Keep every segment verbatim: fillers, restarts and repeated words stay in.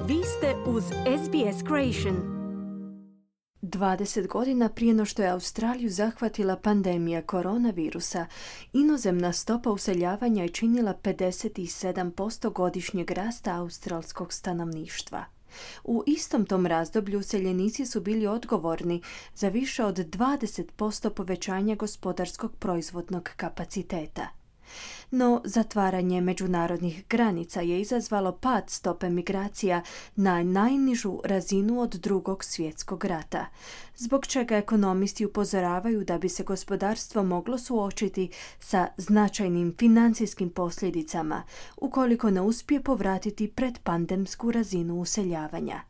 Vi ste uz S B S Creation. dvadeset godina prije no što je Australiju zahvatila pandemija koronavirusa, inozemna stopa useljavanja je činila pedeset sedam posto godišnjeg rasta australskog stanovništva. U istom tom razdoblju useljenici su bili odgovorni za više od dvadeset posto povećanja gospodarskog proizvodnog kapaciteta. No, zatvaranje međunarodnih granica je izazvalo pad stope migracija na najnižu razinu od Drugog svjetskog rata, zbog čega ekonomisti upozoravaju da bi se gospodarstvo moglo suočiti sa značajnim financijskim posljedicama ukoliko ne uspije povratiti predpandemsku razinu useljavanja.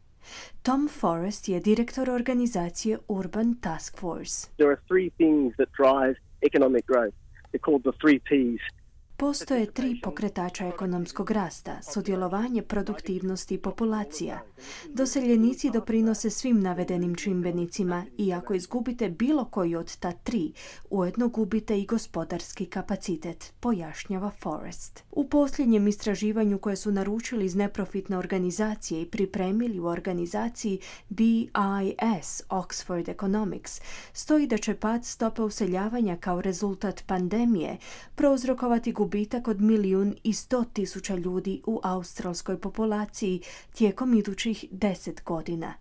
Tom Forrest je direktor organizacije Urban Task Force. There are three things that drive economic growth. They're called the three Ps. Postoje tri pokretača ekonomskog rasta, sudjelovanje, produktivnost i populacija. Doseljenici doprinose svim navedenim čimbenicima i ako izgubite bilo koji od ta tri, ujedno gubite i gospodarski kapacitet, pojašnjava Forrest. U posljednjem istraživanju koje su naručili iz neprofitne organizacije i pripremili u organizaciji B I S Oxford Economics, stoji da će pad stope useljavanja kao rezultat pandemije prouzrokovati gubitak od milijun i sto tisuća ljudi u australskoj populaciji tijekom idućih deset godina.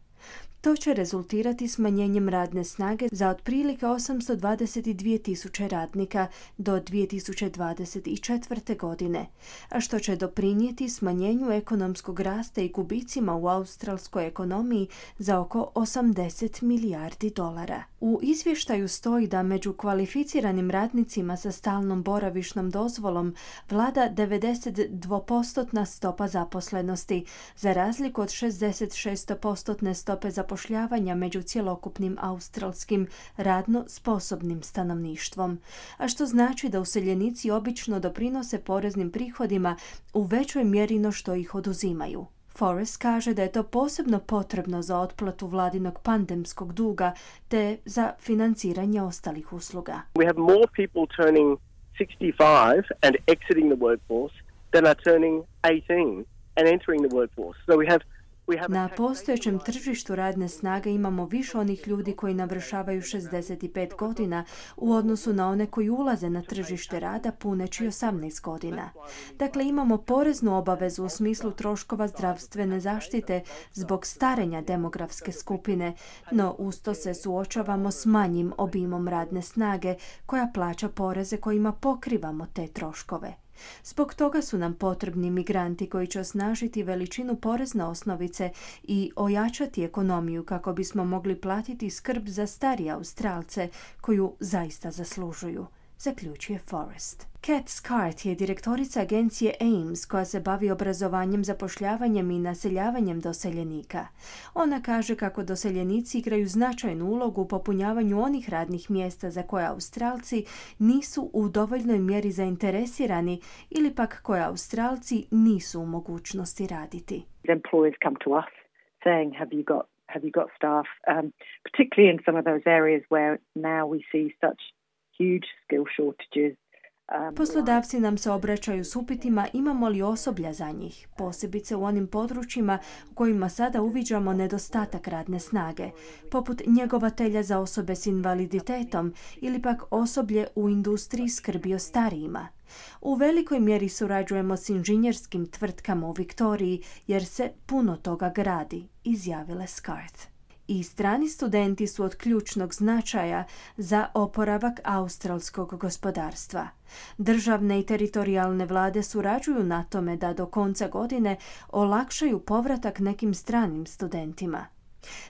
To će rezultirati smanjenjem radne snage za otprilike osamsto dvadeset dvije tisuće radnika do dvije tisuće dvadeset četvrte. godine, a što će doprinijeti smanjenju ekonomskog rasta i gubicima u australskoj ekonomiji za oko osamdeset milijardi dolara. U izvještaju stoji da među kvalificiranim radnicima sa stalnom boravišnom dozvolom vlada devedeset dva posto stopa zaposlenosti, za razliku od šezdeset šest posto stope zaposlenosti zapošljavanja među cjelokupnim australskim radno sposobnim stanovništvom, a što znači da useljenici obično doprinose poreznim prihodima u većoj mjeri no što ih oduzimaju. Forrest kaže da je to posebno potrebno za otplatu vladinog pandemskog duga te za financiranje ostalih usluga. We have more people turning sixty-five and exiting the workforce than are turning eighteen and entering the workforce. So we have Na postojećem tržištu radne snage imamo više onih ljudi koji navršavaju šezdeset pet godina u odnosu na one koji ulaze na tržište rada puneći osamnaest godina. Dakle, imamo poreznu obavezu u smislu troškova zdravstvene zaštite zbog starenja demografske skupine, no usto se suočavamo s manjim obimom radne snage koja plaća poreze kojima pokrivamo te troškove. Zbog toga su nam potrebni migranti koji će osnažiti veličinu porezne osnovice i ojačati ekonomiju kako bismo mogli platiti skrb za starije Australce koju zaista zaslužuju, zaključuje Forrest. Kat Scart je direktorica agencije A I M S koja se bavi obrazovanjem, zapošljavanjem i naseljavanjem doseljenika. Ona kaže kako doseljenici igraju značajnu ulogu u popunjavanju onih radnih mjesta za koje Australci nisu u dovoljnoj mjeri zainteresirani ili pak koje Australci nisu u mogućnosti raditi. Employers come to us saying, have you got, have you got staff, um, particularly in some of those areas where now we see such huge skill shortages. Poslodavci nam se obraćaju s upitima imamo li osoblja za njih, posebice u onim područjima u kojima sada uviđamo nedostatak radne snage, poput njegovatelja za osobe s invaliditetom ili pak osoblje u industriji skrbi o starijima. U velikoj mjeri surađujemo s inženjerskim tvrtkama u Viktoriji jer se puno toga gradi, izjavila Scart. I strani studenti su od ključnog značaja za oporavak australskog gospodarstva. Državne i teritorijalne vlade surađuju na tome da do konca godine olakšaju povratak nekim stranim studentima.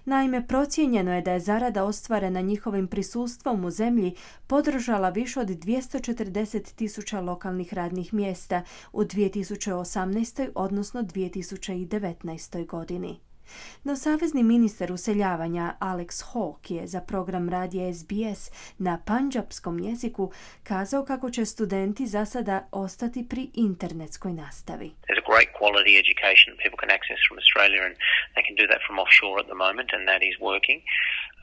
Naime, procijenjeno je da je zarada ostvarena njihovim prisustvom u zemlji podržala više od dvjesto četrdeset tisuća lokalnih radnih mjesta u dvije tisuće osamnaestoj odnosno dvije tisuće devetnaestoj godini. No savezni ministar useljavanja Alex Hawke je za program radija S B S na pandžapskom jeziku kazao kako će studenti za sada ostati pri internetskoj nastavi. There's a great quality education people can access from Australia and they can do that from offshore at the moment and that is working.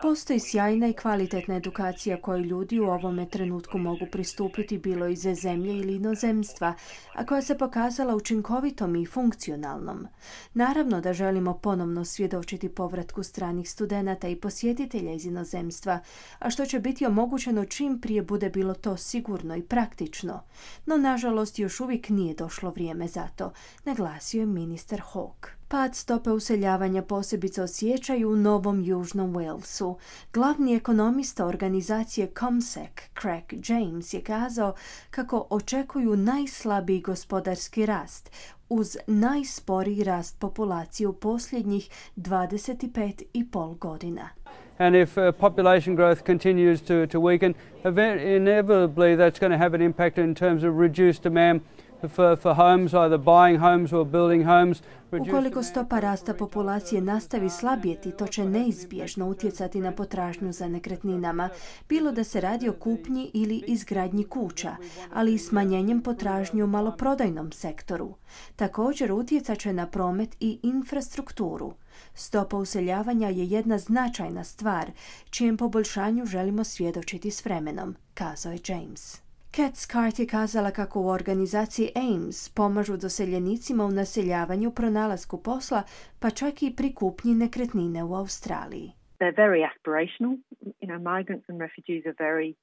Postoji sjajna i kvalitetna edukacija koju ljudi u ovome trenutku mogu pristupiti bilo iz zemlje ili inozemstva, a koja se pokazala učinkovitom i funkcionalnom. Naravno da želimo ponovno svjedočiti povratku stranih studenata i posjetitelja iz inozemstva, a što će biti omogućeno čim prije bude bilo to sigurno i praktično. No, nažalost, još uvijek nije došlo vrijeme za to, naglasio je ministar Hawke. Pad stope useljavanja posebice osjećaju u Novom Južnom Walesu. Glavni ekonomista organizacije CommSec, Craig James, je kazao kako očekuju najslabiji gospodarski rast uz najsporiji rast populacije u posljednjih dvadeset pet i pol godina. And if uh, population growth continues to, to weaken, inevitably that's going to have an impact in terms of reduced demand For, for homes, either buying homes or building homes. Ukoliko stopa rasta populacije nastavi slabjeti, to će neizbježno utjecati na potražnju za nekretninama, bilo da se radi o kupnji ili izgradnji kuća, ali i smanjenjem potražnje u maloprodajnom sektoru. Također utjecat će na promet i infrastrukturu. Stopa useljavanja je jedna značajna stvar, čijem poboljšanju želimo svjedočiti s vremenom, kazao je James. Kat Scart je kazala kako u organizaciji A I M S pomažu doseljenicima u naseljavanju, pronalasku posla, pa čak i pri kupnji nekretnine u Australiji. They're very aspirational. You know, migrants and refugees are very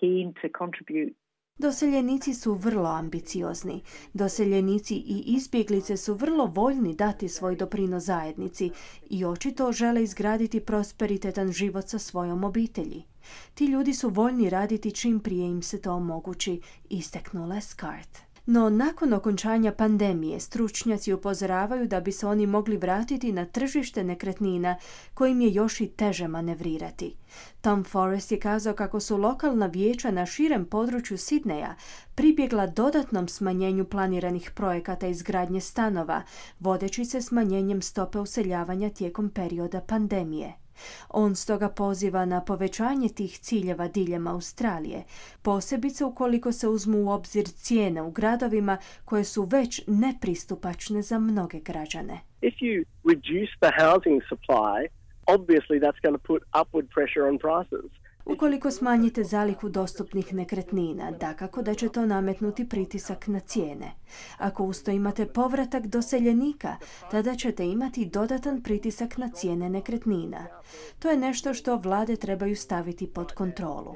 keen to contribute. Doseljenici su vrlo ambiciozni. Doseljenici i izbjeglice su vrlo voljni dati svoj doprinos zajednici i očito žele izgraditi prosperitetan život sa svojom obitelji. Ti ljudi su voljni raditi čim prije im se to omogući, istaknula je Scart. No, nakon okončanja pandemije, stručnjaci upozoravaju da bi se oni mogli vratiti na tržište nekretnina kojim je još i teže manevrirati. Tom Forrest je kazao kako su lokalna vijeća na širem području Sidneja pribjegla dodatnom smanjenju planiranih projekata izgradnje stanova, vodeći se smanjenjem stope useljavanja tijekom perioda pandemije. On stoga poziva na povećanje tih ciljeva diljem Australije, posebice ukoliko se uzmu u obzir cijene u gradovima koje su već nepristupačne za mnoge građane. If you reduce the housing supply, obviously that's going to put upward pressure on prices. Ukoliko smanjite zalihu dostupnih nekretnina, dakako da će to nametnuti pritisak na cijene. Ako usto imate povratak doseljenika, tada ćete imati dodatan pritisak na cijene nekretnina. To je nešto što vlade trebaju staviti pod kontrolu.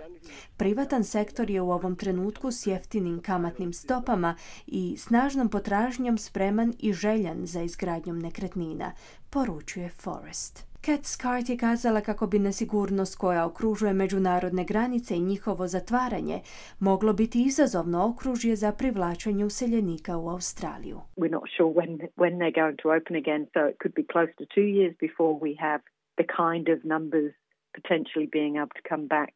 Privatan sektor je u ovom trenutku s jeftinim kamatnim stopama i snažnom potražnjom spreman i željan za izgradnjom nekretnina, poručuje Forrest. Kat Scart je kazala kako bi nesigurnost koja okružuje međunarodne granice i njihovo zatvaranje moglo biti izazovno okružje za privlačenje useljenika u Australiju. We're not sure when, when they're going to open again, so it could be close to two years before we have the kind of numbers potentially being able to come back.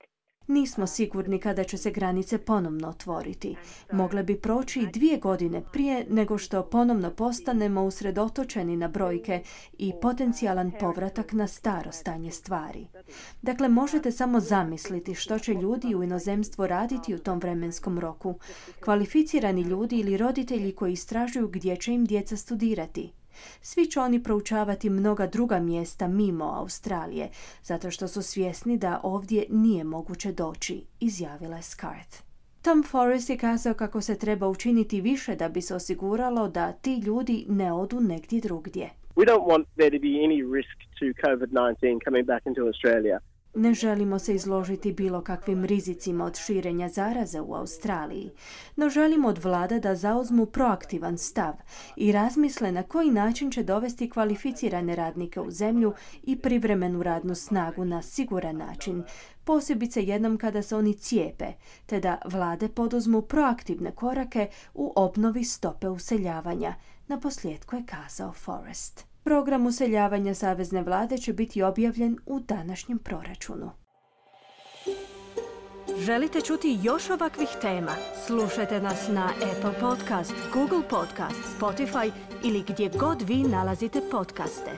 Nismo sigurni kada će se granice ponovno otvoriti. Mogle bi proći i dvije godine prije nego što ponovno postanemo usredotočeni na brojke i potencijalan povratak na staro stanje stvari. Dakle, možete samo zamisliti što će ljudi u inozemstvu raditi u tom vremenskom roku. Kvalificirani ljudi ili roditelji koji istražuju gdje će im djeca studirati. Svi će oni proučavati mnoga druga mjesta mimo Australije, zato što su svjesni da ovdje nije moguće doći, izjavila je Scart. Tom Forrest je kazao kako se treba učiniti više da bi se osiguralo da ti ljudi ne odu negdje drugdje. We don't want there to be any risk to COVID nineteen coming back into Australia. Ne želimo se izložiti bilo kakvim rizicima od širenja zaraze u Australiji, no želimo od vlada da zauzmu proaktivan stav i razmisle na koji način će dovesti kvalificirane radnike u zemlju i privremenu radnu snagu na siguran način, posebice jednom kada se oni cijepe, te da vlade poduzmu proaktivne korake u obnovi stope useljavanja, naposljetku je kazao Forrest. Program useljavanja savezne vlade će biti objavljen u današnjem proračunu. Želite čuti još ovakvih tema? Slušajte nas na Apple Podcast, Google Podcast, Spotify ili gdje god vi nalazite podcaste.